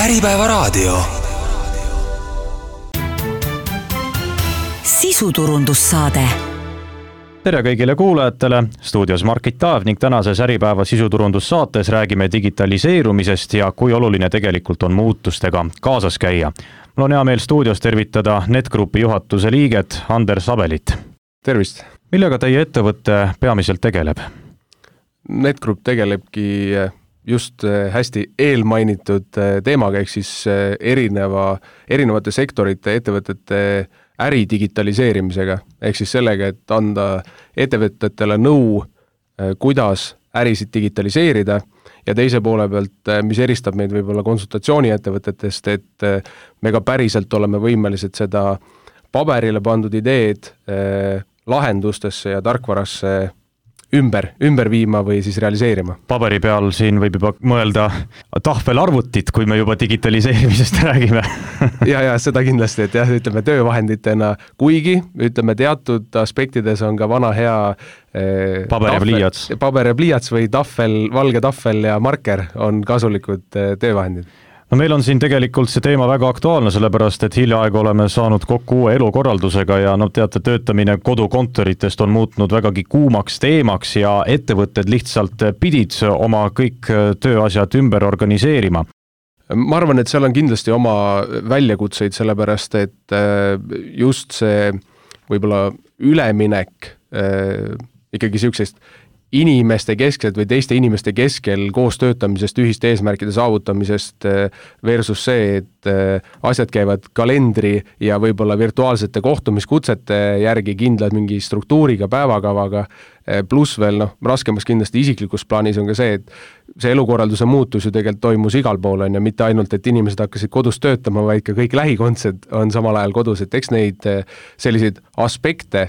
Äripäevaraadio. Sisuturundussaade. Tere kõigile kuulajatele, stuudios Margit Taav ning tänases Äripäeva sisuturundussaates räägime digitaliseerumisest ja kui oluline tegelikult on muutustega kaasas käia. Mul on hea meel stuudios tervitada NetGroupi juhatuse liiget Anders Abelit. Tervist! Millega teie ettevõte peamiselt tegeleb? NetGroup tegelebki just hästi eelmainitud teemaga, ehk siis erinevate sektorite ettevõtete äri digitaliseerimisega, ehk siis sellega, et anda ettevõtetele nõu, kuidas ärisid digitaliseerida ja teise poole pealt, mis eristab meid võib-olla konsultatsiooni ettevõtetest, et me ka päriselt oleme võimelised seda paberile pandud ideed lahendustesse ja tarkvarasse ümber viima või siis realiseerima. Paberi peal siin võib juba mõelda tahvelarvutit, kui me juba digitaliseerimisest räägime. ja seda kindlasti, et jah, ütleme töövahenditena, kuigi ütleme teatud aspektides on ka vana hea paber ja pliiats või valge tahvel ja marker on kasulikud töövahendid. No meil on siin tegelikult see teema väga aktuaalne, sellepärast et hiljaaegu oleme saanud kokku uue elukorraldusega ja teate, töötamine kodukontoritest on muutnud vägagi kuumaks teemaks ja ettevõtted lihtsalt pidid oma kõik tööasjad ümber organiseerima. Ma arvan, et seal on kindlasti oma väljakutseid, sellepärast et just see võib-olla üleminek ikkagi siuksest inimeste keskelt või teiste inimeste keskel koos töötamisest, ühiste eesmärkide saavutamisest versus see, et asjad käivad kalendri ja võib-olla virtuaalsete kohtumiskutsete järgi kindlad mingi struktuuriga, päevakavaga, pluss veel raskemas kindlasti isiklikus plaanis on ka see, et see elukorralduse muutus ju tegelikult toimus igal pool ja mitte ainult, et inimesed hakkasid kodus töötama, vaid ka kõik lähikondsed on samal ajal kodus, et eks neid selliseid aspekte,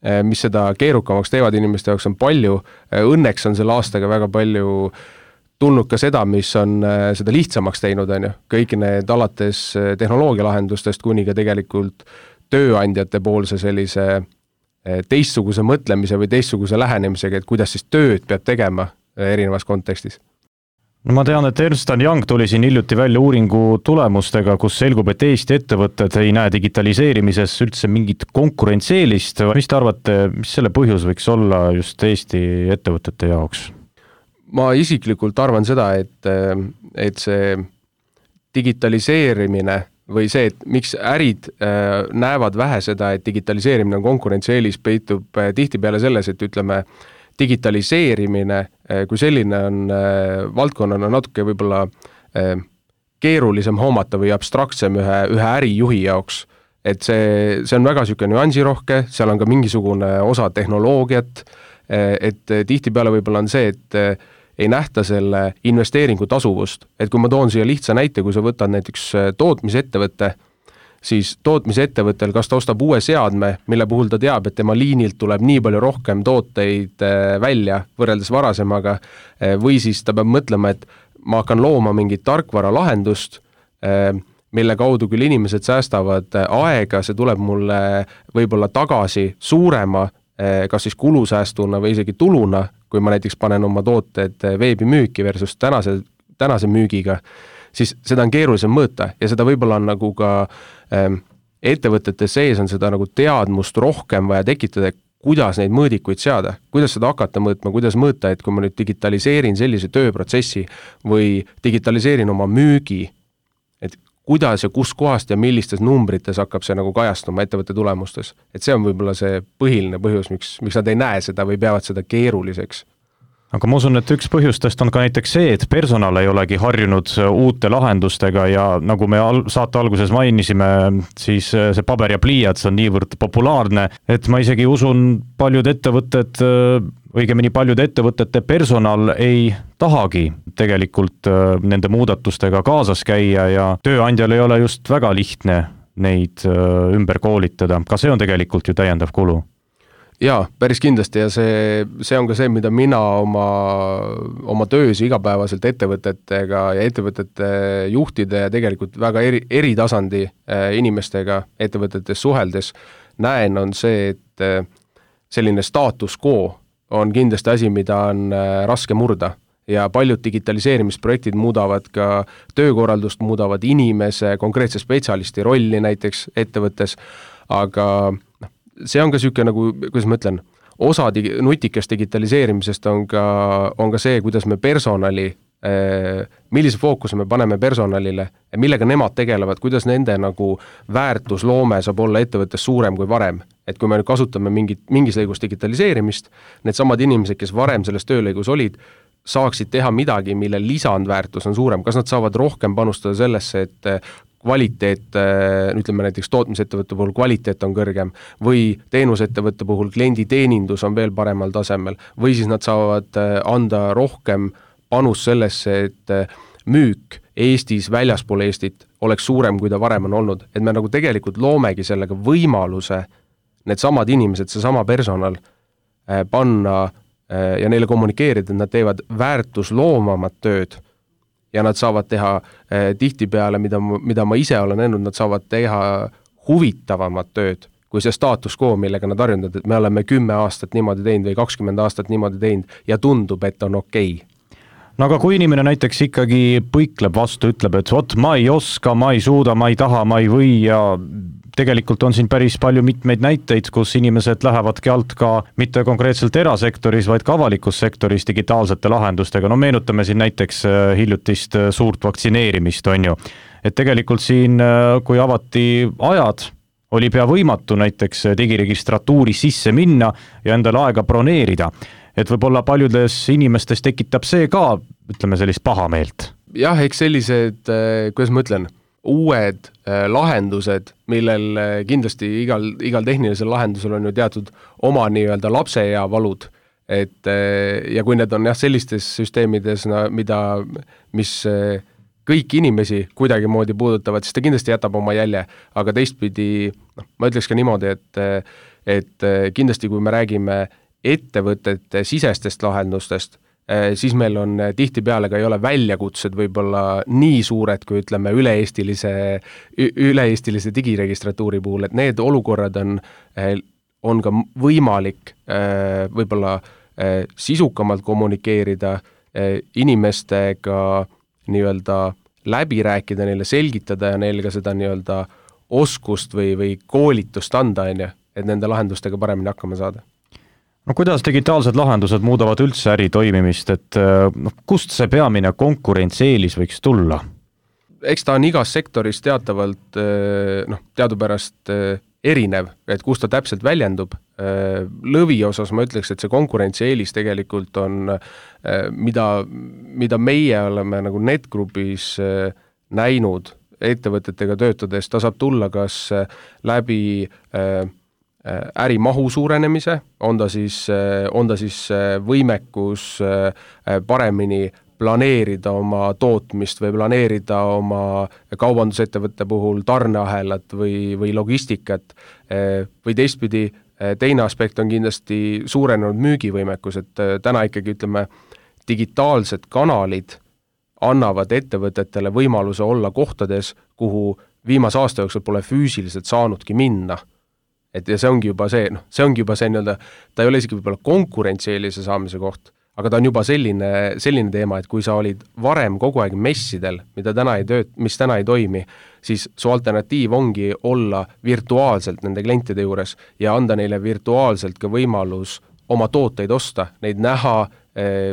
mis seda keerukamaks teevad inimeste jaoks on palju. Õnneks on selle aastaga väga palju tulnud ka seda, mis on seda lihtsamaks teinud. Kõik need alates tehnoloogialahendustest kuni ka tegelikult tööandjate poolse sellise teistsuguse mõtlemise või teistsuguse lähenemisega, et kuidas siis tööd peab tegema erinevas kontekstis. No ma tean, et Ernst & Young tuli siin hiljuti välja uuringu tulemustega, kus selgub, et Eesti ettevõtted ei näe digitaliseerimises üldse mingit konkurentsieelist. Mis te arvate, mis selle põhjus võiks olla just Eesti ettevõtete jaoks? Ma isiklikult arvan seda, et see digitaliseerimine või see, et miks ärid näevad vähe seda, et digitaliseerimine on konkurentsieelis, peitub tihtipeale selles, et ütleme, digitaliseerimine kui selline on valdkonnana natuke võib-olla keerulisem hoomata või abstraktsem ühe ärijuhi jaoks. Et see on väga süke nüansirohke, seal on ka mingisugune osa tehnoloogiat, et tihtipeale võib-olla on see, et ei nähta selle investeeringu tasuvust. Et kui ma toon siia lihtsa näite, kui sa võtad näiteks tootmisettevõtte, siis tootmisettevõttel, kas ta ostab uue seadme, mille puhul ta teab, et tema liinilt tuleb nii palju rohkem tooteid välja võrreldes varasemaga, või siis ta peab mõtlema, et ma hakkan looma mingit tarkvara lahendust, mille kaudu küll inimesed säästavad aega, see tuleb mulle võib-olla tagasi suurema, kas siis kulusäästuna või isegi tuluna, kui ma näiteks panen oma tooted veebimüüki versus tänase müügiga, siis seda on keerulisem mõõta ja seda võib-olla on nagu ka ettevõtete sees on seda nagu teadmust rohkem vaja tekitada, kuidas neid mõõdikuid seada, kuidas seda hakata mõõtma, kuidas mõõta, et kui ma nüüd digitaliseerin sellise tööprotsessi või digitaliseerin oma müügi, et kuidas ja kus kohast ja millistes numbrites hakkab see nagu kajastuma ettevõtte tulemustes. Et see on võib-olla see põhiline põhjus, miks nad ei näe seda või peavad seda keeruliseks. Aga ma usun, et üks põhjustest on ka näiteks see, et personal ei olegi harjunud uute lahendustega ja nagu me saate alguses mainisime, siis see paber ja pliiats on niivõrd populaarne, et ma isegi usun, paljud ettevõtete personal ei tahagi tegelikult nende muudatustega kaasas käia ja tööandjal ei ole just väga lihtne neid ümber koolitada. Ka see on tegelikult ju täiendav kulu. Jaa, päris kindlasti ja see on ka see, mida mina oma töös igapäevaselt ettevõtetega ja ettevõtete juhtide ja tegelikult väga eri tasandi inimestega ettevõtetes suheldes näen, on see, et selline status quo on kindlasti asi, mida on raske murda. ja paljud digitaliseerimisprojektid muudavad ka töökorraldust, muudavad inimese, konkreetse spetsialisti rolli näiteks ettevõttes, aga see on ka niisugune nagu, kuidas ma ütlen, osa nutikast digitaliseerimisest on ka see, kuidas me personali, millise fookuse me paneme personalile, millega nemad tegelevad, kuidas nende nagu väärtusloome saab olla ettevõttes suurem kui varem. Et kui me nüüd kasutame mingis lõigus digitaliseerimist, need samad inimesed, kes varem selles töölõigus olid, saaksid teha midagi, mille lisandväärtus on suurem. Kas nad saavad rohkem panustada sellesse, et kvaliteet, ütleme näiteks tootmisettevõtte puhul kvaliteet on kõrgem või teenusettevõtte puhul klienditeenindus on veel paremal tasemel või siis nad saavad anda rohkem panus sellesse, et müük Eestis, väljaspool Eestit oleks suurem, kui ta varem on olnud. Et me nagu tegelikult loomegi sellega võimaluse need samad inimesed, see sama personal panna ja neile kommunikeerida, et nad teevad väärtusloomamat tööd ja nad saavad teha tihtipeale, mida ma ise olen näinud, nad saavad teha huvitavamat tööd kui see status quo, millega nad harjunud, et me oleme 10 aastat niimoodi teinud või 20 aastat niimoodi teinud ja tundub, et on okei. No aga kui inimene näiteks ikkagi põikleb vastu, ütleb, et vot ma ei oska, ma ei suuda, ma ei taha, ma ei või ja tegelikult on siin päris palju mitmeid näiteid, kus inimesed lähevadki alt ka mitte konkreetselt erasektoris, vaid ka avalikus sektoris digitaalsete lahendustega. No meenutame siin näiteks hiljutist suurt vaktsineerimist, on ju. Et tegelikult siin, kui avati ajad, oli pea võimatu näiteks digiregistratuuri sisse minna ja endale aega broneerida. Et võib-olla paljudes inimestes tekitab see ka, ütleme, sellist pahameelt. Jah, eks sellised, kuidas ma ütlen, uued lahendused, millel kindlasti igal tehnilisel lahendusel on ju teatud oma nii-öelda lapse ja valud. Ja kui need on sellistes süsteemides, mis kõik inimesi kuidagi moodi puudutavad, siis ta kindlasti jätab oma jälje. Aga teistpidi, ma ütleks ka niimoodi, et kindlasti kui me räägime ettevõtete sisestest lahendustest, siis meil on tihtipeale ka ei ole väljakutsed võib-olla nii suured, kui ütleme üle-eestilise digiregistratuuri puhul, et need olukorrad on ka võimalik võib-olla sisukamalt kommunikeerida, inimestega nii-öelda läbi rääkida, neile selgitada ja neile ka seda nii-öelda oskust või koolitust anda, et nende lahendustega paremini hakkama saada. No kuidas digitaalsed lahendused muudavad üldse äri toimimist, et kust see peamine konkurentsieelis võiks tulla? Eks ta on igas sektoris teatavalt teadupärast erinev, et kus ta täpselt väljendub. Lõvi osas ma ütleks, et see konkurentsieelis tegelikult on, mida meie oleme nagu NetGroupis näinud ettevõtetega töötades, ta saab tulla kas läbi ärimahu suurenemise, on ta siis võimekus paremini planeerida oma tootmist või planeerida oma kaubandusettevõtte puhul tarneahelat või logistikat või teistpidi. Teine aspekt on kindlasti suurenenud müügivõimekus, et täna ikkagi ütleme, digitaalsed kanalid annavad ettevõtetele võimaluse olla kohtades, kuhu viimase aasta jooksul pole füüsiliselt saanudki minna. Ja see ongi juba see, nii-öelda, ta ei ole isegi võib-olla konkurentsieelise saamise koht, aga ta on juba selline teema, et kui sa olid varem kogu aeg messidel, mis täna ei toimi, siis su alternatiiv ongi olla virtuaalselt nende klientide juures ja anda neile virtuaalselt ka võimalus oma tooteid osta, neid näha,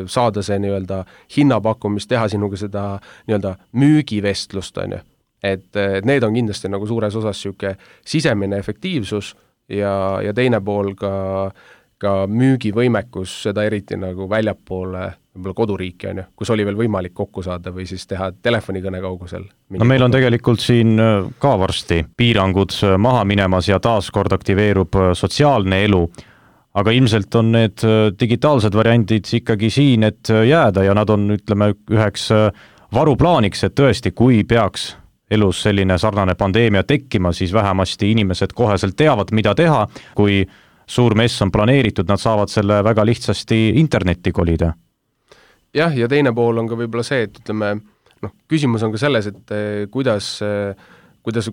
saada see nii-öelda hinnapakkumist, teha sinuga seda nii-öelda müügivestlust, on ju. Et need on kindlasti nagu suures osas siuke sisemine efektiivsus ja teine pool ka müügivõimekus, seda eriti nagu väljapoole võib-olla koduriiki, on ju, kus oli veel võimalik kokku saada või siis teha telefonikõne kaugusel. No meil on tegelikult siin ka varsti piirangud maha minemas ja taaskord aktiveerub sotsiaalne elu, aga ilmselt on need digitaalsed variandid ikkagi siin, et jääda ja nad on, ütleme, üheks varuplaaniks, et tõesti, kui peaks elus selline sarnane pandeemia tekkima, siis vähemasti inimesed koheselt teavad, mida teha. Kui suur mess on planeeritud, nad saavad selle väga lihtsasti internetti kolida. Jah, ja teine pool on ka võib-olla see, et ütleme, küsimus on ka selles, et kuidas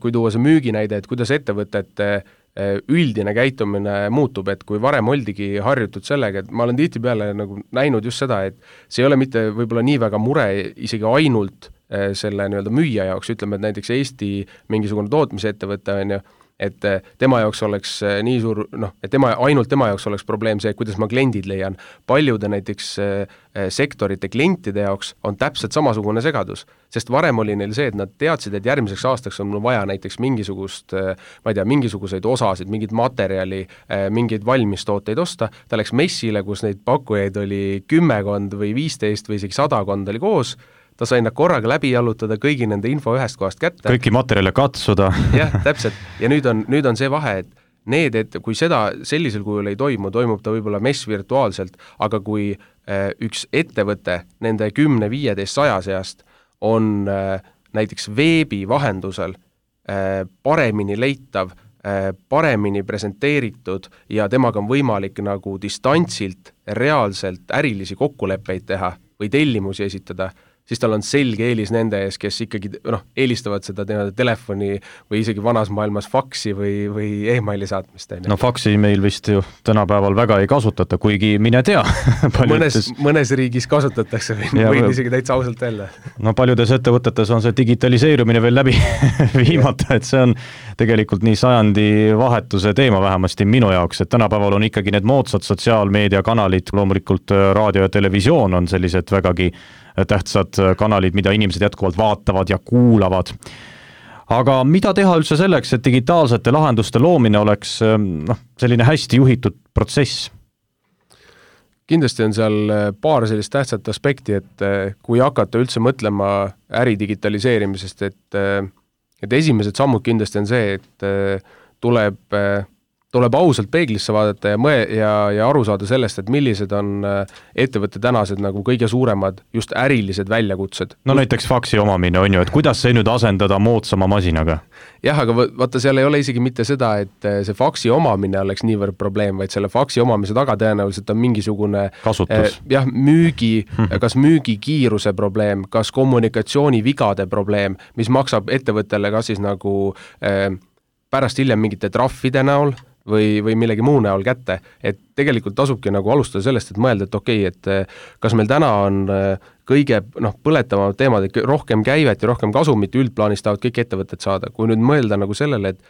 kui tuua see müüginäide, et kuidas ettevõtete üldine käitumine muutub, et kui varem oldigi harjutud sellega, et ma olen tihtipeale nagu näinud just seda, et see ei ole mitte võib-olla nii väga mure isegi ainult selle nii-öelda müüja jaoks, ütleme, et näiteks Eesti mingisugune tootmisettevõte on ju, et tema jaoks oleks nii suur, et ainult tema jaoks oleks probleem see, kuidas ma kliendid leian. Paljude näiteks sektorite klientide jaoks on täpselt samasugune segadus, sest varem oli neil see, et nad teadsid, et järgmiseks aastaks on mul vaja näiteks mingisugust, ma ei tea, mingisuguseid osasid, mingit materjali, mingeid valmistooteid osta, ta läks messile, kus neid pakkujaid oli 10 või 15 või isegi 100 oli koos, ta sai nad korraga läbi jalutada, kõigi nende info ühest kohast kätte. Kõiki materjale katsuda. Jah, täpselt. Ja nüüd on see vahe, et kui seda sellisel kujul ei toimub ta võib-olla mess virtuaalselt, aga kui üks ettevõte nende 10, 15, 100 seast on näiteks veebi vahendusel paremini leitav, paremini presenteeritud ja temaga on võimalik nagu distantsilt reaalselt ärilisi kokkuleppeid teha või tellimusi esitada, siis tal on selge eelis nende ees, kes ikkagi eelistavad seda telefoni või isegi vanas maailmas faksi või e-maili saatmist. Faksi meil vist ju tänapäeval väga ei kasutata, kuigi mine tea. Mõnes riigis kasutatakse võin isegi täitsa ausalt öelda. Paljudes ettevõtetes on see digitaliseerumine veel läbi viimata, et see on tegelikult nii sajandi vahetuse teema vähemasti minu jaoks, et tänapäeval on ikkagi need moodsad sotsiaalmeediakanalid, loomulikult raadio ja televisioon on sellised vägagi tähtsad kanalid, mida inimesed jätkuvalt vaatavad ja kuulavad. Aga mida teha üldse selleks, et digitaalsete lahenduste loomine oleks selline hästi juhitud protsess? Kindlasti on seal paar sellist tähtsat aspekti, et kui hakata üldse mõtlema äri digitaliseerimisest, et esimesed sammud kindlasti on see, et tuleb ausalt peeglisse vaadata ja aru saada sellest, et millised on ettevõtte tänased nagu kõige suuremad just ärilised väljakutsed. Näiteks faksi omamine on ju, et kuidas see nüüd asendada moodsama masinaga? Jah, aga vaata, seal ei ole isegi mitte seda, et see faksi omamine oleks niivõrd probleem, vaid selle faksi omamise taga tõenäoliselt on mingisugune kasutus. Kas müügikiiruse probleem, kas kommunikatsioonivigade probleem, mis maksab ettevõttele kas siis nagu pärast hiljem mingite trahvide näol või millegi muu näol kätte, et tegelikult tasubki nagu alustada sellest, et mõelda, et okei, et kas meil täna on kõige põletavamad teemad, et rohkem käivet ja rohkem kasumit üldplaanis tahavad kõik ettevõtted saada. Kui nüüd mõelda nagu sellele, et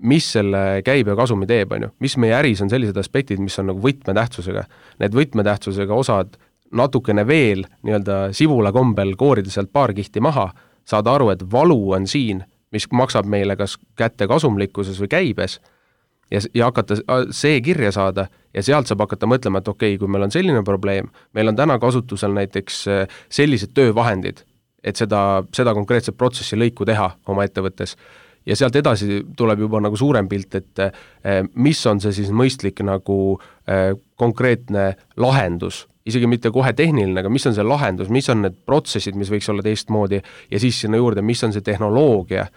mis selle käibe ja kasumi teeb, mis meie äris on sellised aspektid, mis on nagu võtmetähtsusega. Need võtmetähtsusega osad natukene veel nii-öelda sivula kombel koorida sealt paar kihti maha, saada aru, et valu on siin, mis maksab meile kas kätte kasumlikkuses või käibes, ja hakata see kirja saada ja sealt saab hakata mõtlema, et okei, kui meil on selline probleem, meil on täna kasutusel näiteks sellised töövahendid, et seda konkreetset protsessi lõiku teha oma ettevõttes. Ja sealt edasi tuleb juba nagu suurem pilt, et mis on see siis mõistlik nagu konkreetne lahendus, isegi mitte kohe tehniline, aga mis on see lahendus, mis on need protsessid, mis võiks olla teistmoodi ja siis sinna juurde, mis on see tehnoloogia,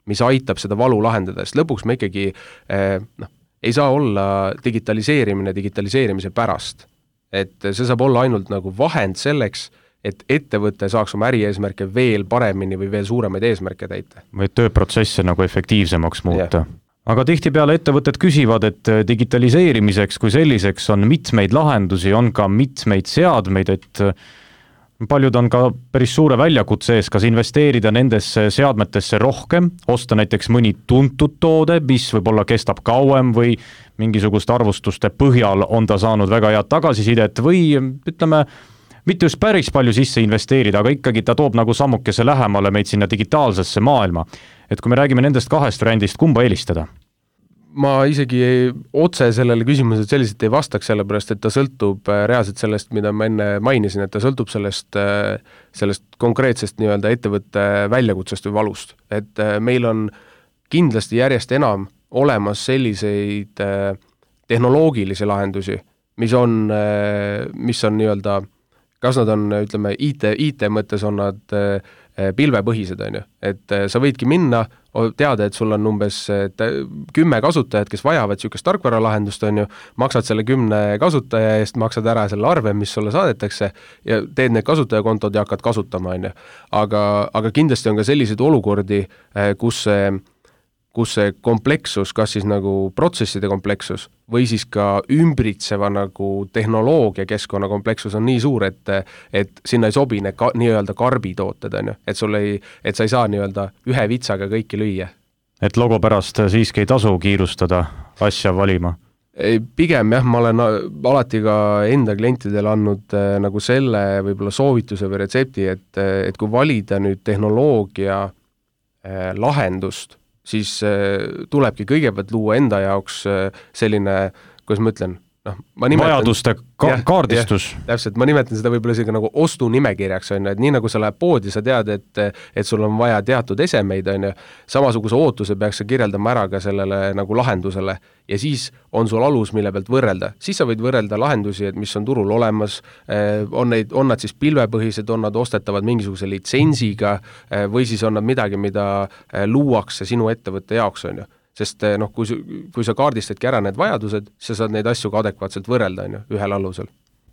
mis aitab seda valu lahendada, sest lõpuks me ikkagi ei saa olla digitaliseerimise pärast. Et see saab olla ainult nagu vahend selleks, et ettevõte saaks oma ärieesmärke veel paremini või veel suuremaid eesmärke täita. Või tööprotsesse nagu efektiivsemaks muuta. Yeah. Aga tihtipeale ettevõtted küsivad, et digitaliseerimiseks kui selliseks on mitmeid lahendusi, on ka mitmeid seadmeid, et paljud on ka päris suure väljakutse ees, kas investeerida nendesse seadmetesse rohkem, osta näiteks mõni tuntud toode, mis võib-olla kestab kauem või mingisugust arvustuste põhjal on ta saanud väga head tagasisidet või ütleme, mitte just päris palju sisse investeerida, aga ikkagi ta toob nagu sammukese lähemale meid sinna digitaalsesse maailma. Et kui me räägime nendest kahest variandist, kumba eelistada? Ma isegi otse sellele küsimusele selliselt ei vastaks, sellepärast, et ta sõltub reaalselt sellest, mida ma enne mainisin, et ta sõltub sellest konkreetsest nii-öelda ettevõtte väljakutsest või valust. Et meil on kindlasti järjest enam olemas selliseid tehnoloogilisi lahendusi, mis on nii-öelda, kas nad on, ütleme, IT mõttes on nad pilvepõhised, on ju. Et sa võidki minna, teada, et sul on umbes 10 kasutajat, kes vajavad niisugust tarkvaralahendust, on ju, maksad selle 10 kasutaja eest, maksad ära selle arve, mis sulle saadetakse ja teed need kasutajakontod ja hakkad kasutama, on ju. Aga kindlasti on ka selliseid olukordi, kus kus see komplekssus, kas siis nagu protsesside komplekssus või siis ka ümbritseva nagu tehnoloogia keskkonna komplekssus on nii suur, et sinna ei sobi need nii-öelda karbitooted, on ju, et sa ei saa nii-öelda ühe vitsaga kõiki lüüa. Et logo pärast siiski ei tasu kiirustada asja valima? Pigem jah, ma olen alati ka enda klientidele andnud nagu selle võib-olla soovituse või retsepti, et kui valida nüüd tehnoloogia lahendust, siis tulebki kõigepealt luua enda jaoks selline, kuidas ma ütlen, vajaduste kaardistus. Täpselt, ma nimetan seda võib-olla isegi nagu ostunimekirjaks, on ju, et nii nagu sa lähed poodi, sa tead, et sul on vaja teatud esemeid, on ju, samasuguse ootuse peaks sa kirjeldama ära ka sellele nagu lahendusele ja siis on sul alus, mille pealt võrrelda. Siis sa võid võrrelda lahendusi, et mis on turul olemas, on nad siis pilvepõhised, on nad ostetavad mingisuguse litsensiga või siis on nad midagi, mida luuakse sinu ettevõtte jaoks, on ju. Sest kui sa kaardistadki ära need vajadused, sa saad neid asju ka adekvaatselt võrrelda, on ju, ühel alusel.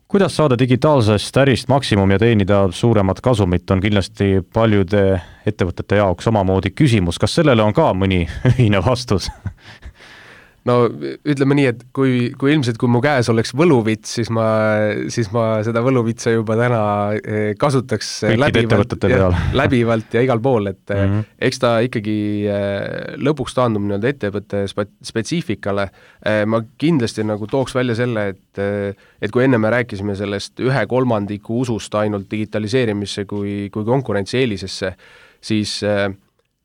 Kuidas saada digitaalsest ärist maksimum ja teenida suuremat kasumit, on kindlasti paljude ettevõtete jaoks omamoodi küsimus. Kas sellele on ka mõni ühine vastus? No ütleme nii, et kui ilmselt, kui mu käes oleks võluvits, siis ma seda võluvitsa juba täna kasutaks läbivalt ja igal pool, et eks ta ikkagi lõpuks taandub nii-öelda ettevõtte spetsiifikale. Ma kindlasti nagu tooks välja selle, et kui enne me rääkisime sellest 1/3 usust ainult digitaliseerimisse kui konkurentsieelisesse, siis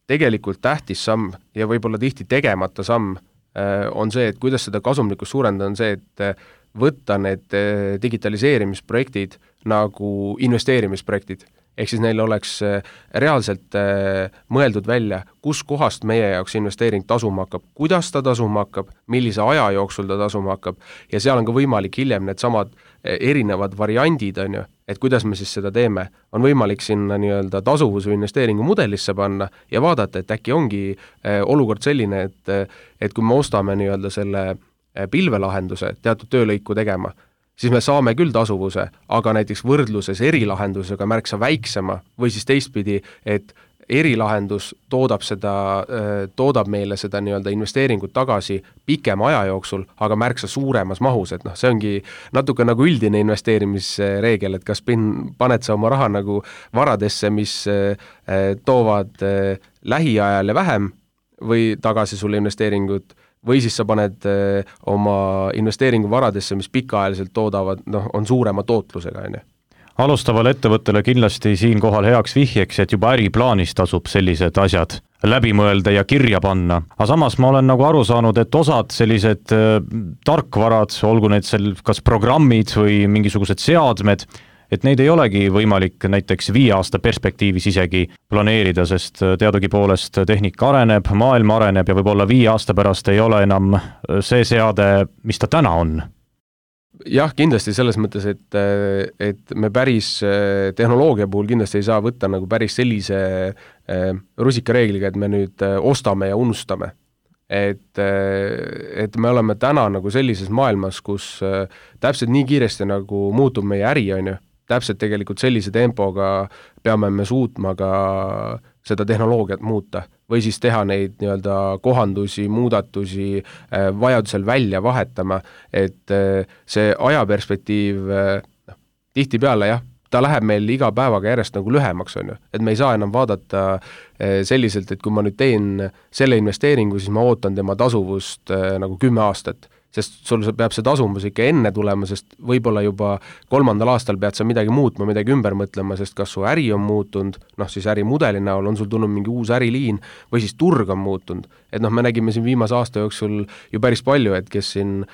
tegelikult tähtis samm ja võib-olla tihti tegemata samm on see, et kuidas seda kasumlikkust suurendada, on see, et võtta need digitaliseerimisprojektid nagu investeerimisprojektid. Ehk siis neil oleks reaalselt mõeldud välja, kus kohast meie jaoks investeering tasuma hakkab, kuidas ta tasuma hakkab, millise aja jooksul ta tasuma hakkab ja seal on ka võimalik hiljem need samad erinevad variandid, on ju, et kuidas me siis seda teeme. On võimalik sinna nii-öelda tasuvus- või investeeringu mudelisse panna ja vaadata, et äkki ongi olukord selline, et kui me ostame nii-öelda selle pilvelahenduse teatud töölõiku tegema, siis me saame küll tasuvuse, aga näiteks võrdluses erilahendusega märksa väiksema või siis teistpidi, et erilahendus toodab meile seda nii-öelda investeeringut tagasi pikema aja jooksul, aga märksa suuremas mahus, et see ongi natuke nagu üldine investeerimisreegel, et kas paned sa oma raha nagu varadesse, mis toovad lähiajal ja vähem või tagasi sulle investeeringut, või siis sa paned oma investeeringu varadesse, mis pikaajaliselt toodavad, on suurema tootlusega, on ju. Alustavale ettevõttele kindlasti siinkohal heaks vihjeks, et juba äriplaanis tasub sellised asjad läbi mõelda ja kirja panna. Aga samas ma olen nagu aru saanud, et osad sellised tarkvarad, olgu need kas programmid või mingisugused seadmed, et neid ei olegi võimalik näiteks 5 aasta perspektiivis isegi planeerida, sest teadugi poolest tehnika areneb, maailm areneb ja võib-olla 5 aasta pärast ei ole enam see seade, mis ta täna on. Jah, kindlasti selles mõttes, et me päris tehnoloogia puhul kindlasti ei saa võtta nagu päris sellise rusikareegliga, et me nüüd ostame ja unustame. Et me oleme täna nagu sellises maailmas, kus täpselt nii kiiresti nagu muutub meie äri, on ju, täpselt tegelikult sellise tempoga peame me suutma ka seda tehnoloogiat muuta või siis teha neid nii-öelda kohandusi, muudatusi, vajadusel välja vahetama, et see ajaperspektiiv tihtipeale jah, ta läheb meil iga päevaga järjest nagu lühemaks, on ju, et me ei saa enam vaadata selliselt, et kui ma nüüd teen selle investeeringu, siis ma ootan tema tasuvust nagu 10 aastat. Sest sul peab see tasumus ikka enne tulema, sest võib-olla juba 3. aastal pead sa midagi muutma, midagi ümber mõtlema, sest kas su äri on muutunud, siis ärimudeli näol on sul tulnud mingi uus äriliin või siis turg on muutunud. Et me nägime siin viimase aasta jooksul ju päris palju, et kes siin,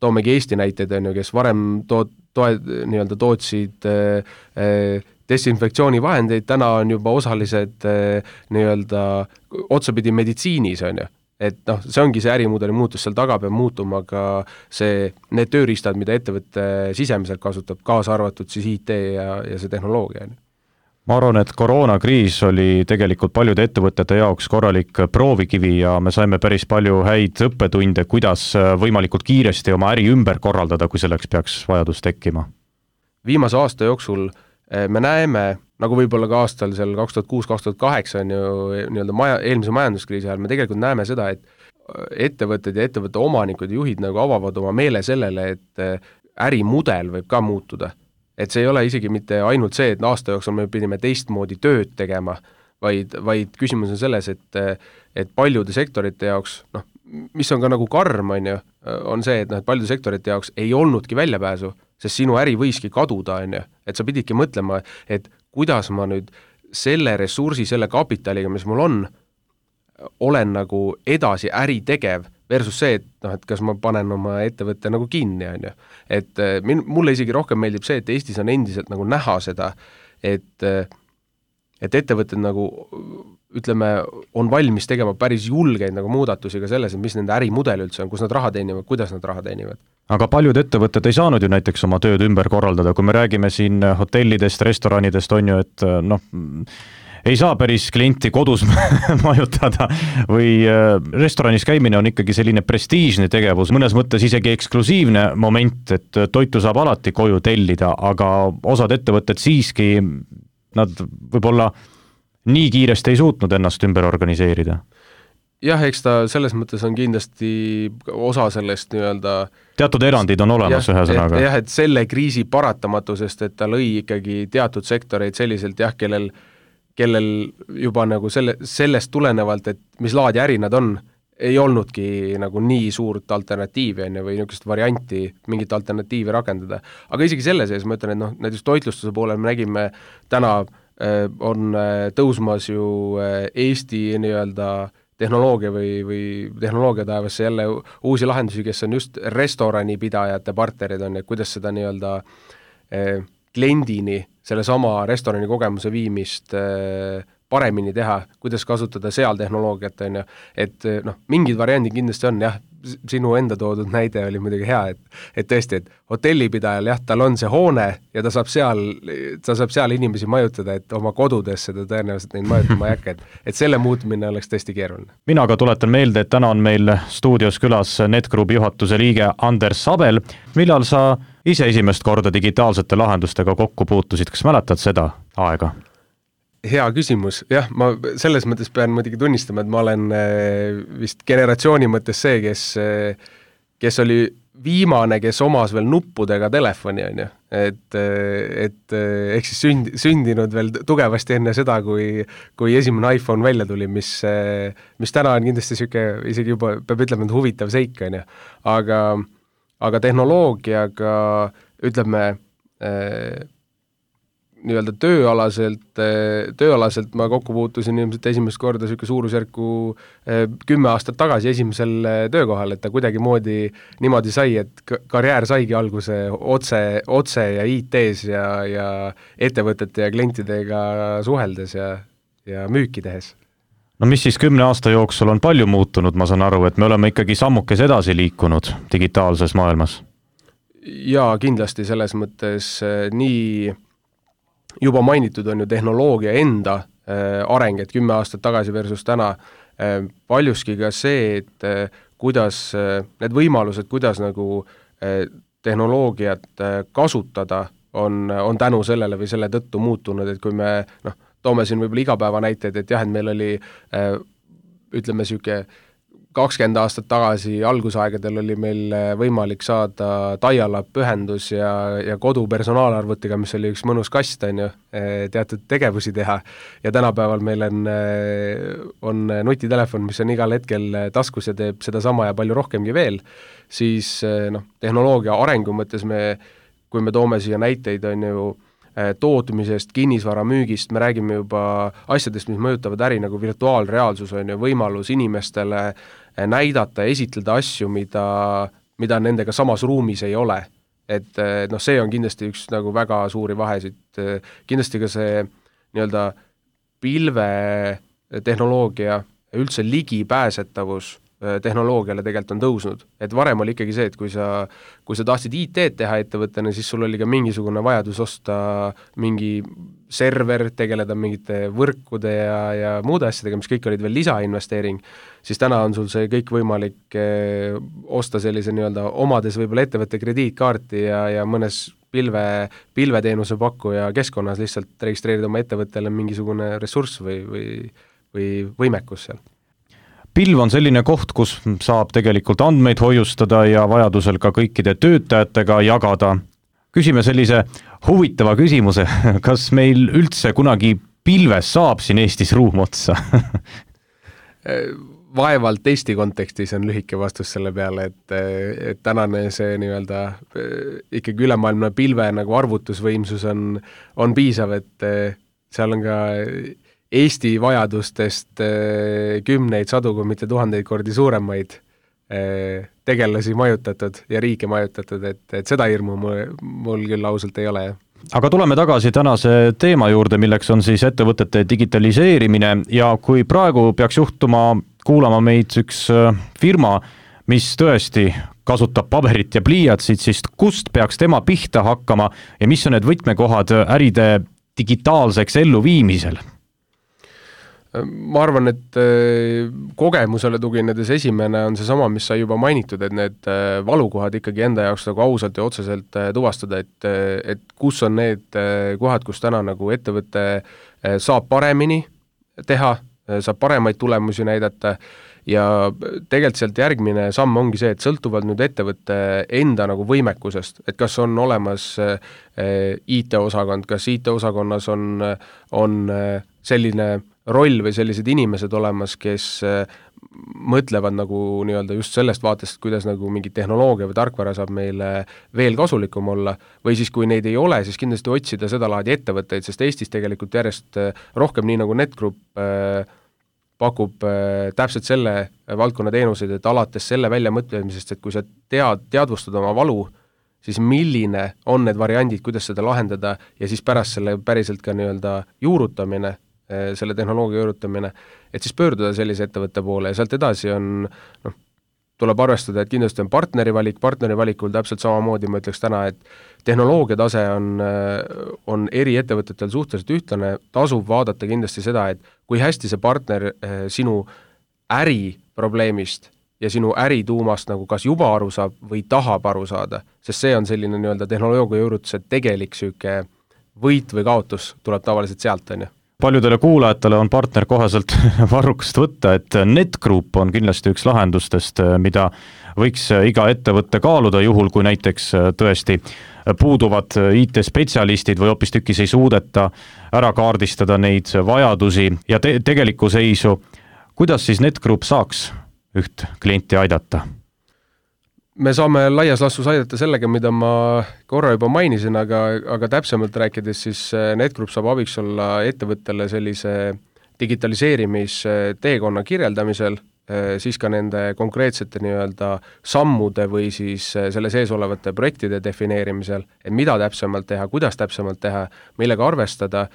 toomegi Eesti näiteid, on ju, kes varem nii-öelda tootsid desinfektsioonivahendeid, täna on juba osalised nii-öelda otsapidi meditsiinis, on ju. Et see ongi see ärimudeli muutus, seal taga peab muutuma ka need tööriistad, mida ettevõtte sisemiselt kasutab, kaasa arvatud siis IT ja see tehnoloogia. Ma arvan, et koroonakriis oli tegelikult paljude ettevõtete jaoks korralik proovikivi ja me saime päris palju häid õppetunde, kuidas võimalikult kiiresti oma äri ümber korraldada, kui selleks peaks vajadus tekkima. Viimase aasta jooksul me näeme, nagu võib-olla ka aastal seal 2006-2008 on ju nii-öelda eelmise majanduskriisi ajal, me tegelikult näeme seda, et ettevõtted ja ettevõtte omanikud ja juhid nagu avavad oma meele sellele, et ärimudel võib ka muutuda. Et see ei ole isegi mitte ainult see, et aasta jooksul me pidime teistmoodi tööd tegema, vaid küsimus on selles, et paljude sektorite jaoks, mis on ka nagu karm, on see, et paljude sektorite jaoks ei olnudki väljapääsu, sest sinu äri võiski kaduda, et sa pididki mõtlema, et kuidas ma nüüd selle ressursi, selle kapitaliga, mis mul on, olen nagu edasi äri tegev versus see, et kas ma panen oma ettevõtte nagu kinni, et mulle isegi rohkem meeldib see, et Eestis on endiselt nagu näha seda, et ettevõtted nagu ütleme, on valmis tegema päris julgeid nagu muudatusi ka selles, et mis nende ärimudel üldse on, kus nad raha teenivad, kuidas nad raha teenivad. Aga paljud ettevõtted ei saanud ju näiteks oma tööd ümber korraldada, kui me räägime siin hotellidest, restoranidest, on ju, et ei saa päris klienti kodus majutada või restoranis käimine on ikkagi selline prestiižne tegevus, mõnes mõttes isegi eksklusiivne moment, et toitu saab alati koju tellida, aga osad ettevõtted siiski, nad võib-olla nii kiiresti ei suutnud ennast ümber organiseerida. Jah, eks ta selles mõttes on kindlasti osa sellest nii-öelda teatud erandid on olemas ühe sõnaga. Jah, et selle kriisi paratamatusest, et ta lõi ikkagi teatud sektoreid selliselt, jah, kellel juba nagu sellest tulenevalt, et mis laadi äri nad on, ei olnudki nagu nii suurt alternatiivi või niisugust varianti, mingit alternatiivi rakendada. Aga isegi selle sees ma ütlen, et näiteks toitlustuse poolel me nägime täna on tõusmas ju Eesti nii-öelda tehnoloogia või tehnoloogia taevasse jälle uusi lahendusi, kes on just restoranipidajate partnerid on, et kuidas seda nii-öelda kliendini selle sama restorani kogemuse viimist paremini teha, kuidas kasutada seal tehnoloogiat, on ju, et mingid variandid kindlasti on, jah, sinu enda toodud näide oli muidugi hea, et tõesti, et hotellipidajal, jah, tal on see hoone ja ta saab seal inimesi majutada, et oma kodudesse ta tõenäoliselt neid majutama ei hakka, et selle muutmine oleks tõesti keeruline. Mina ka tuletan meelde, et täna on meil stuudios külas NetGroupi juhatuse liige Anders Sabel. Millal sa ise esimest korda digitaalsete lahendustega kokku puutusid, kas mäletad seda aega? Hea küsimus, jah, ma selles mõttes pean muidugi tunnistama, et ma olen vist generatsiooni mõttes see, kes oli viimane, kes omas veel nuppudega telefoni, on ju, et ehk siis sündinud veel tugevasti enne seda, kui esimene iPhone välja tuli, mis täna on kindlasti siuke, isegi juba peab ütlema, et huvitav seik, on ju, aga tehnoloogiaga, ütleme, nii-öelda tööalaselt ma kokku puutusin ilmselt esimest korda siuke suurusjärku 10 aastat tagasi esimesel töökohal, et ta kuidagi niimoodi sai, et karjäär saigi alguse otse ja IT-s ja ettevõtete ja klientidega suheldes ja müüki tehes. No mis siis 10 aasta jooksul on palju muutunud, ma saan aru, et me oleme ikkagi sammukes edasi liikunud digitaalses maailmas? Jaa, kindlasti selles mõttes nii juba mainitud on ju tehnoloogia enda areng, et 10 aastat tagasi versus täna, paljuski ka see, et kuidas need võimalused, kuidas nagu tehnoloogiat kasutada, on tänu sellele või selle tõttu muutunud, et kui me toome siin võib-olla igapäeva näiteid, et jah, et meil oli ütleme siuke 20 aastat tagasi algusaegadel oli meil võimalik saada dial-up ühendus ja kodu personaalarvutiga, mis oli üks mõnus kast, on ju, teatud tegevusi teha. Ja tänapäeval meil on nutitelefon, mis on igal hetkel taskus ja teeb seda sama ja palju rohkemgi veel, siis tehnoloogia arengu mõttes kui me toome siia näiteid, on ju, tootmisest, kinnisvara müügist, me räägime juba asjadest, mis mõjutavad äri nagu virtuaalreaalsus, on ju, võimalus inimestele näidata ja esitleda asju, mida nendega samas ruumis ei ole. Et see on kindlasti üks nagu väga suuri vahesid. Kindlasti ka see nii-öelda pilve tehnoloogia, üldse ligipääsetavus tehnoloogiale tegelikult on tõusnud. Et varem oli ikkagi see, et kui sa tahtsid IT-d teha ettevõttena, siis sul oli ka mingisugune vajadus osta mingi server, tegeleda mingite võrkude ja muude asjadega, mis kõik olid veel lisainvesteering, siis täna on sul see kõik võimalik osta sellise nii-öelda omades võib-olla ettevõtte krediitkaarti ja mõnes pilveteenuse pakkuja keskkonnas lihtsalt registreerida oma ettevõttele mingisugune ressurss või võimekus seal. Pilv on selline koht, kus saab tegelikult andmeid hoiustada ja vajadusel ka kõikide töötajatega jagada. Küsime sellise huvitava küsimuse, kas meil üldse kunagi pilves saab siin Eestis ruum otsa? Vaevalt Eesti kontekstis on lühike vastus selle peale, et tänane see nii-öelda ikkagi ülemaailmne pilve nagu arvutusvõimsus on piisav, et seal on ka Eesti vajadustest kümneid, sadu, kui mitte tuhandeid kordi suuremaid tegelasi majutatud ja riike majutatud, et seda hirmu mul küll ausalt ei ole. Aga tuleme tagasi tänase teema juurde, milleks on siis ettevõtete digitaliseerimine ja kui praegu peaks juhtuma kuulama meid üks firma, mis tõesti kasutab paberit ja pliiatsit, siis kust peaks tema pihta hakkama ja mis on need võtmekohad äride digitaalseks elluviimisel? Ma arvan, et kogemusele tuginedes esimene on seesama, mis sai juba mainitud, et need valukohad ikkagi enda jaoks nagu ausalt ja otseselt tuvastada, et kus on need kohad, kus täna nagu ettevõte saab paremini teha, saab paremaid tulemusi näidata ja tegelikult sealt järgmine samm ongi see, et sõltuvalt nüüd ettevõtte enda nagu võimekusest, et kas on olemas IT-osakond, kas IT-osakonnas on selline roll või sellised inimesed olemas, kes mõtlevad nagu nii-öelda just sellest vaatest, kuidas nagu mingi tehnoloogia või tarkvara saab meile veel kasulikum olla, või siis kui neid ei ole, siis kindlasti otsida seda laadi ettevõtteid, sest Eestis tegelikult järjest rohkem nii nagu NetGroup pakub täpselt selle valdkonna teenuseid, et alates selle väljamõtlemisest, et kui sa teadvustad oma valu, siis milline on need variandid, kuidas seda lahendada ja siis pärast selle päriselt ka nii-öelda juurutamine, selle tehnoloogia juurutamine, et siis pöörduda sellise ettevõtte poole ja sealt edasi on, tuleb arvestada, et kindlasti on partneri valikul täpselt samamoodi, ma ütleks täna, et tehnoloogia tase on eri ettevõtetel suhteliselt ühtlane, tasub vaadata kindlasti seda, et kui hästi see partner sinu äriprobleemist ja sinu ärituumast nagu kas juba aru saab või tahab aru saada, sest see on selline nii-öelda tehnoloogia juurutuse tegelik süke võit või kaotus tuleb tavaliselt sealt, on ju. Paljudele kuulajatele on partner koheselt varrukast võtta, et NetGroup on kindlasti üks lahendustest, mida võiks iga ettevõtte kaaluda juhul, kui näiteks tõesti puuduvad IT-spetsialistid või hoopistükkis ei suudeta ära kaardistada neid vajadusi ja tegelikku seisu. Kuidas siis NetGroup saaks üht klienti aidata? Me saame laias lastus aidata sellega, mida ma korra juba mainisin, aga täpsemalt rääkides siis NetGroup saab abiks olla ettevõttele sellise digitaliseerimisteekonna kirjeldamisel, siis ka nende konkreetsete nii-öelda sammude või siis selle sees olevate projektide defineerimisel, et mida täpsemalt teha, kuidas täpsemalt teha, millega arvestada,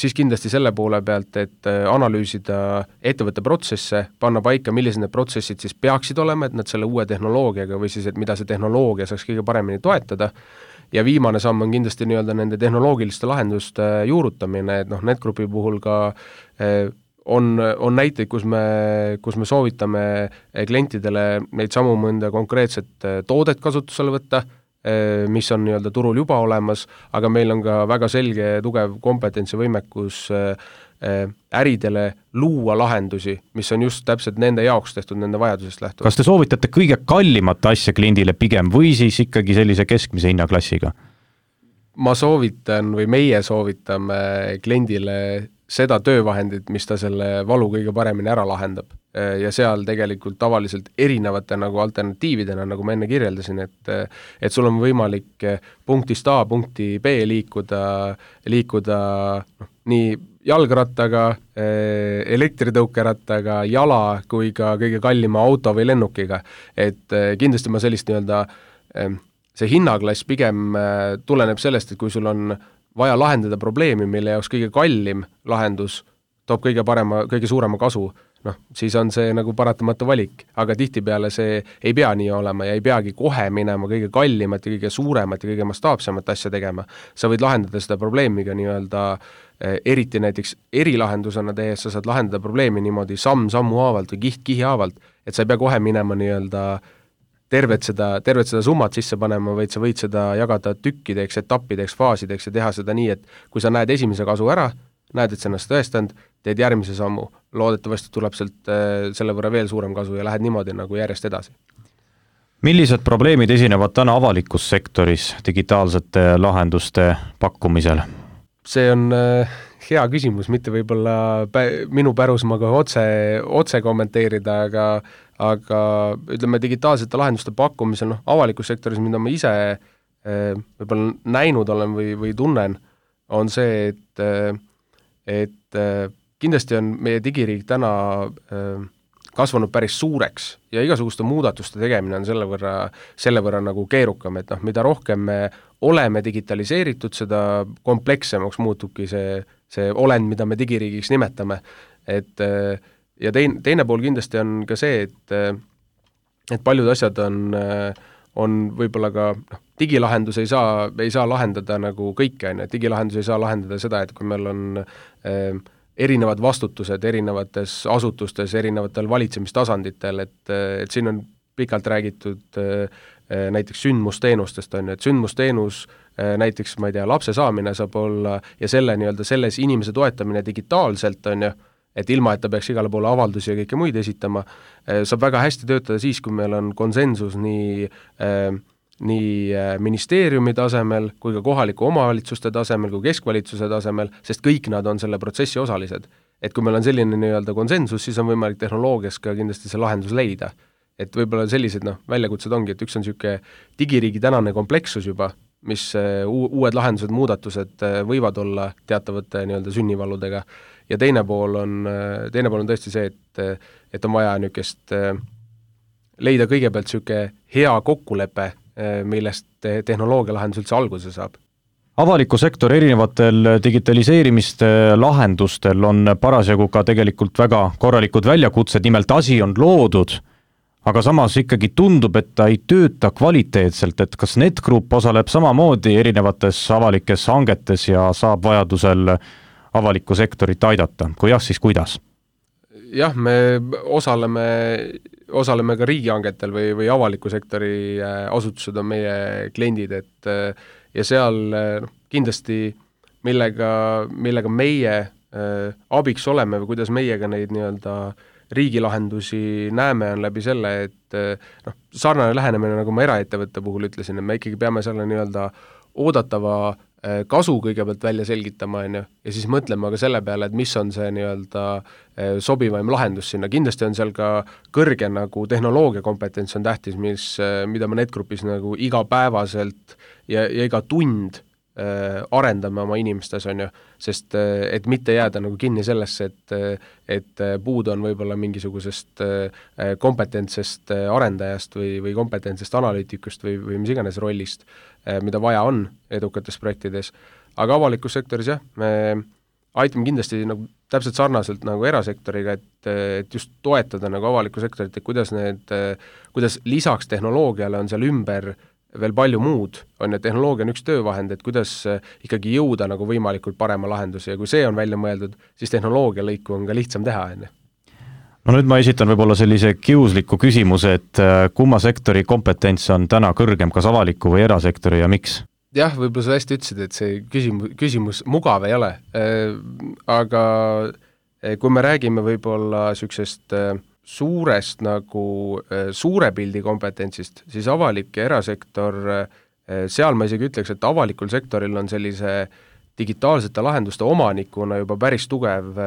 siis kindlasti selle poole pealt, et analüüsida ettevõtte protsesse, panna paika, millised need protsessid siis peaksid olema, et nad selle uue tehnoloogiaga või siis, et mida see tehnoloogia saaks kõige paremini toetada, ja viimane samm on kindlasti nii-öelda nende tehnoloogiliste lahenduste juurutamine, et NetGroupi puhul ka on näiteid, kus me soovitame klientidele neid samu mõnda konkreetset toodet kasutusele võtta, mis on nii-öelda turul juba olemas, aga meil on ka väga selge tugev kompetentsi võimekus äridele luua lahendusi, mis on just täpselt nende jaoks tehtud, nende vajadusest lähtuvalt. Kas te soovitate kõige kallimat asja kliendile pigem või siis ikkagi sellise keskmise hinnaklassiga? Ma soovitan või meie soovitame kliendile seda töövahendit, mis ta selle valu kõige paremini ära lahendab. Ja seal tegelikult tavaliselt erinevate nagu alternatiividena, nagu ma enne kirjeldasin, et sul on võimalik punktist A punkti B liikuda nii jalgrattaga, elektritõukerattaga, jala kui ka kõige kallima auto või lennukiga. Et kindlasti ma sellist nii-öelda, see hinnaklass pigem tuleneb sellest, et kui sul on vaja lahendada probleemi, mille jaoks kõige kallim lahendus toob kõige suurema kasu, siis on see nagu paratamatu valik, aga tihtipeale see ei pea nii olema ja ei peagi kohe minema kõige kallimat ja kõige suuremat ja kõige mastaapsemat asja tegema. Sa võid lahendada seda probleemiga nii-öelda eriti näiteks erilahendusena tehes, sa saad lahendada probleemi niimoodi sammu haavalt või kihi haavalt, et sa ei pea kohe minema nii-öelda tervet seda summat sisse panema, vaid sa võid seda jagada tükkideks, etappideks, faasideks ja teha seda nii, et kui sa näed esimese kasu ära, näed, et sa ennast tõestanud, teed järgmise sammu, loodetavasti tuleb sealt selle võrra veel suurem kasu ja lähed niimoodi nagu järjest edasi. Millised probleemid esinevad täna avalikus sektoris digitaalsete lahenduste pakkumisel? See on hea küsimus, mitte võib-olla minu pärusmaa kohe otse kommenteerida, aga ütleme digitaalsete lahenduste pakkumisel avalikus sektoris, mida ma ise võib-olla näinud olen või tunnen, on see, et kindlasti on meie digiriik täna kasvanud päris suureks ja igasuguste muudatuste tegemine on selle võrra nagu keerukam, et mida rohkem me oleme digitaliseeritud, seda komplekssemaks muutubki see olend, mida me digiriigiks nimetame. Ja teine pool kindlasti on ka see, et paljud asjad on võib-olla ka digilahendus ei saa lahendada nagu kõike, digilahendus ei saa lahendada seda, et kui meil on erinevad vastutused erinevates asutustes, erinevatel valitsemistasanditel, et siin on pikalt räägitud näiteks sündmusteenustest, et sündmusteenus näiteks, ma ei tea, lapse saamine saab olla ja selles inimese toetamine digitaalselt, et ilma, et ta peaks igale poole avaldusi ja kõike muid esitama, saab väga hästi töötada siis, kui meil on konsensus nii ministeeriumi tasemel kui ka kohaliku omavalitsuste tasemel kui keskvalitsuse tasemel, sest kõik nad on selle protsessi osalised. Et kui meil on selline konsensus, siis on võimalik tehnoloogias ka kindlasti see lahendus leida. Et võib-olla sellised väljakutsed ongi, et üks on niisugune digiriigi tänane komplekssus juba, mis uued lahendused, muudatused võivad olla teatavate sünnivalludega ja teine pool on tõesti see, et on vaja niisugust leida kõigepealt niisugune hea kokkulepe, millest tehnoloogia lahendus üldse alguse saab. Avaliku sektori erinevatel digitaliseerimiste lahendustel on parasjagu ka tegelikult väga korralikud väljakutsed, nimelt asi on loodud, aga samas ikkagi tundub, et ta ei tööta kvaliteetselt, et kas NetGroup osaleb samamoodi erinevates avalikes hangetes ja saab vajadusel avalikku sektorit aidata, kui jah, siis kuidas? Jah, me osaleme ka riigihangetel või avaliku sektori asutused on meie kliendid, ja seal kindlasti millega meie abiks oleme või kuidas meiega neid riigilahendusi näeme, on läbi selle, et sarnane lähenemine, nagu ma eraettevõtte puhul ütlesin, et me ikkagi peame selle oodatava kasu kõigepealt välja selgitama, ja siis mõtlema ka selle peale, et mis on see sobivaim lahendus sinna. Kindlasti on seal ka kõrge tehnoloogia kompetents on tähtis, mida me NetGroupis igapäevaselt ja iga tund arendame oma inimestes, sest et mitte jääda kinni sellesse, et puudu on võib-olla mingisugusest kompetentsest arendajast või kompetentsest analüütikust või mis iganes rollist, mida vaja on edukates projektides. Aga avalikus sektoris me aitame kindlasti täpselt sarnaselt erasektoriga, et just toetada avalikku sektorit, et kuidas lisaks tehnoloogiale on seal ümber veel palju muud, tehnoloogia on üks töövahend, et kuidas ikkagi jõuda võimalikult parema lahenduse ja kui see on välja mõeldud, siis tehnoloogia lõiku on ka lihtsam teha. No nüüd ma esitan võib-olla sellise kiusliku küsimuse, et kumma sektori kompetents on täna kõrgem, kas avaliku või erasektori ja miks? Jah, võib-olla sa hästi ütlesid, et see küsimus mugav ei ole, aga kui me räägime võib-olla niisugusest suurest suure pildi kompetentsist, siis avalik ja erasektor, seal ma isegi ütleks, et avalikul sektoril on sellise digitaalsete lahenduste omanikuna juba päris tugev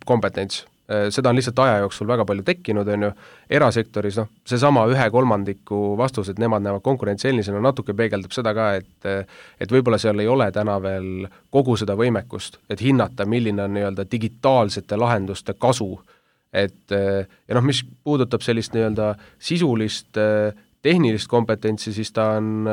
kompetents. Seda on lihtsalt aja jooksul väga palju tekkinud, erasektoris, seesama 1/3 vastus, et nemad näevad konkurentsieelnisena, natuke peegeldab seda ka, et võib-olla seal ei ole täna veel kogu seda võimekust, et hinnata, milline on digitaalsete lahenduste kasu. Ja mis puudutab sellist sisulist tehnilist kompetentsi, siis ta on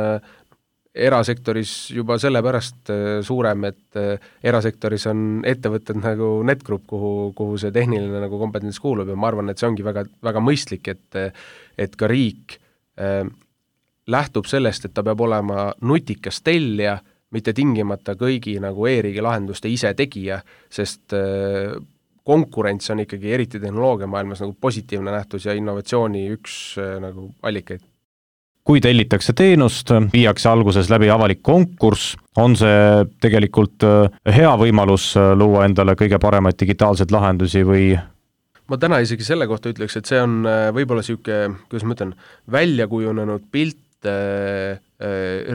erasektoris juba sellepärast suurem, et erasektoris on ettevõtted nagu NetGroup, kuhu see tehniline kompetents kuulub ja ma arvan, et see ongi väga, väga mõistlik, et ka riik lähtub sellest, et ta peab olema nutikas tellija, mitte tingimata kõigi e-riigi lahenduste ise tegija, sest konkurents on ikkagi eriti tehnoloogia maailmas positiivne nähtus ja innovatsiooni üks allikaid. kui tellitakse teenust, viiakse alguses läbi avalik konkurss, on see tegelikult hea võimalus luua endale kõige paremaid digitaalseid lahendusi või? Ma täna isegi selle kohta ütleks, et see on võib-olla siuke, kuidas ma ütlen, väljakujunenud pilt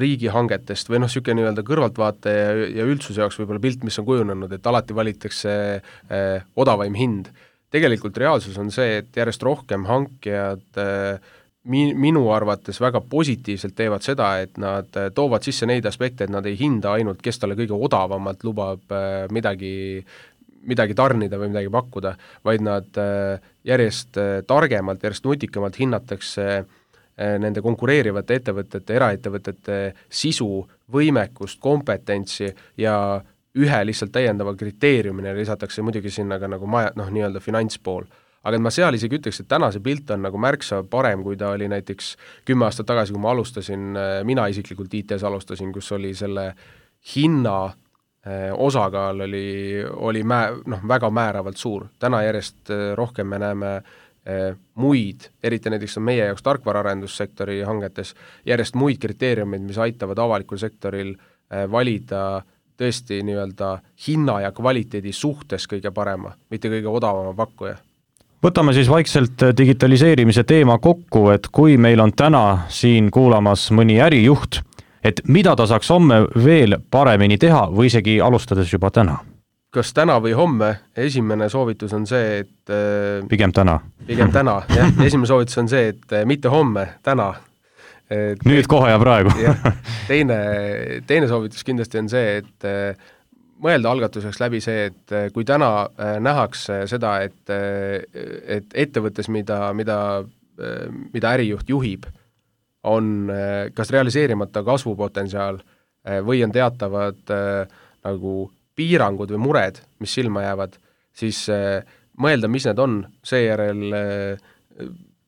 riigihangetest või siuke nii-öelda kõrvaltvaate ja üldsuse jaoks võib-olla pilt, mis on kujunenud, et alati valitakse odavaim hind. Tegelikult reaalsus on see, et järjest rohkem hankijad minu arvates väga positiivselt teevad seda, et nad toovad sisse neid aspekte, et nad ei hinda ainult, kes talle kõige odavamalt lubab midagi tarnida või midagi pakkuda, vaid nad järjest targemalt, järjest nutikamalt hinnatakse nende konkureerivate ettevõtete, eraettevõtete sisu, võimekust, kompetentsi ja ühe lihtsalt täiendava kriteeriumine lisatakse muidugi sinna ka nagu nii-öelda finantspool. Aga ma seal isegi ütleks, et täna see pilt on nagu märksa parem, kui ta oli näiteks 10 aastat tagasi, kui ma alustasin, mina isiklikult IT-s alustasin, kus oli selle hinna osakaal oli väga määravalt suur. Täna järjest rohkem me näeme muid, eriti näiteks on meie jaoks tarkvaraarendussektori hangetes, järjest muid kriteeriumid, mis aitavad avalikul sektoril valida tõesti nii-öelda hinna ja kvaliteedi suhtes kõige parema, mitte kõige odavama pakkuja. Võtame siis vaikselt digitaliseerimise teema kokku, et kui meil on täna siin kuulamas mõni ärijuht, et mida ta saaks homme veel paremini teha või isegi alustades juba täna? Kas täna või homme? Esimene soovitus on see, et Pigem täna, jah. Esimene soovitus on see, et mitte homme, täna. Nüüd kohe ja praegu. Teine soovitus kindlasti on see, et mõelda algatuseks läbi see, et kui täna nähakse seda, et ettevõttes, mida ärijuht juhib, on kas realiseerimata kasvupotentsiaal või on teatavad nagu piirangud või mured, mis silma jäävad, siis mõelda, mis need on, seejärel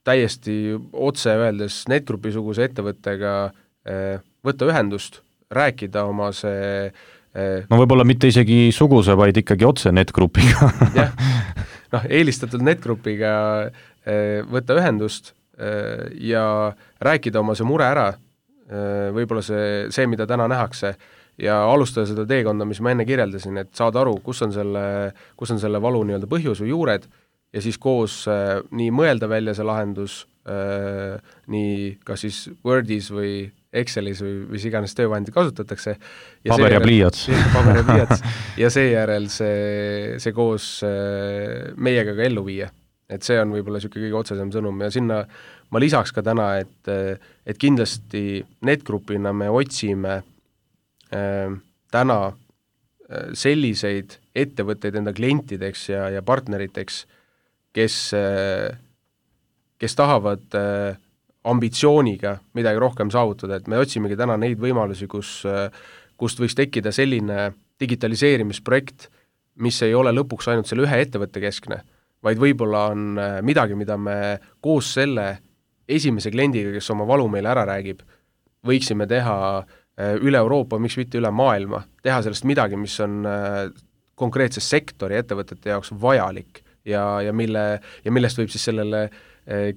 täiesti otse öeldes NetGroupi-suguse ettevõttega võtta ühendust, rääkida oma see no võib-olla mitte isegi suguse, vaid ikkagi otse NetGroupiga. jah, eelistatult NetGroupiga võtta ühendust ja rääkida oma see mure ära, võib-olla see, mida täna nähakse, ja alustada seda teekonda, mis ma enne kirjeldasin, et saada aru, kus on selle valu nii-öelda põhjus või juured, ja siis koos nii mõelda välja see lahendus, nii kas siis Wordis või Excelis või mis iganes töövahendid kasutatakse. Paber ja pliiats. Ja seejärel see koos meiega ka ellu viia. Et see on võib-olla siuke kõige otsesem sõnum ja sinna ma lisaks ka täna, et kindlasti NetGroupina me otsime täna selliseid ettevõtteid enda klientideks ja partneriteks, kes tahavad ambitsiooniga midagi rohkem saavutada, et me otsimegi täna neid võimalusi, kust võiks tekkida selline digitaliseerimisprojekt, mis ei ole lõpuks ainult selle ühe ettevõtte keskne, vaid võib-olla on midagi, mida me koos selle esimese kliendiga, kes oma valu meile ära räägib, võiksime teha üle Euroopa, miks mitte üle maailma, teha sellest midagi, mis on konkreetse sektori ettevõtete jaoks vajalik ja millest võib siis sellele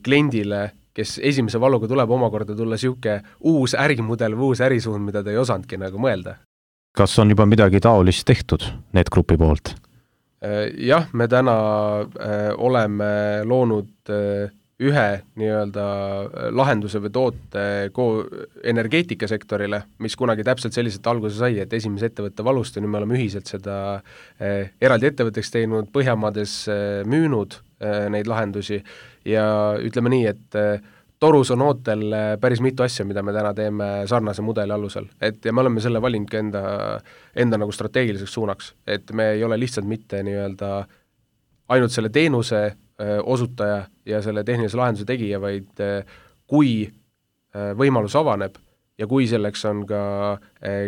kliendile, kes esimese valuga tuleb omakorda tulla siuke uus ärimudel või uus ärisuund, mida ta ei osanudki nagu mõelda. Kas on juba midagi taolist tehtud NetGroupi poolt? Jah, me täna oleme loonud ühe nii-öelda lahenduse või toote energeetikasektorile, mis kunagi täpselt selliselt alguse sai, et esimese ettevõtte valust ja nüüd me oleme ühiselt seda eraldi ettevõtteks teinud, Põhjamaades müünud neid lahendusi ja ütleme nii, et torus on ootel päris mitu asja, mida me täna teeme sarnase mudeli alusel. Ja me oleme selle valinud ka enda nagu strateegiliseks suunaks, et me ei ole lihtsalt mitte nii-öelda ainult selle teenuse osutaja ja selle tehnilise lahenduse tegija, vaid kui võimalus avaneb ja kui selleks on ka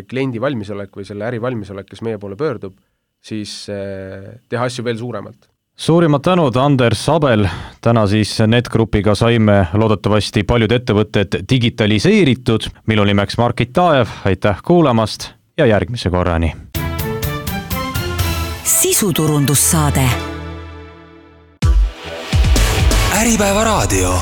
kliendi valmisolek või selle äri valmisolek, kes meie poole pöördub, siis teha asju veel suuremalt. Suurimad tänud, Anders Abel. Täna siis NetGroupiga saime loodetavasti paljud ettevõtted digitaliseeritud. Minu nimeks Margit Taaev, aitäh kuulamast ja järgmise korrani. Sisuturundussaade. Äripäeva raadio.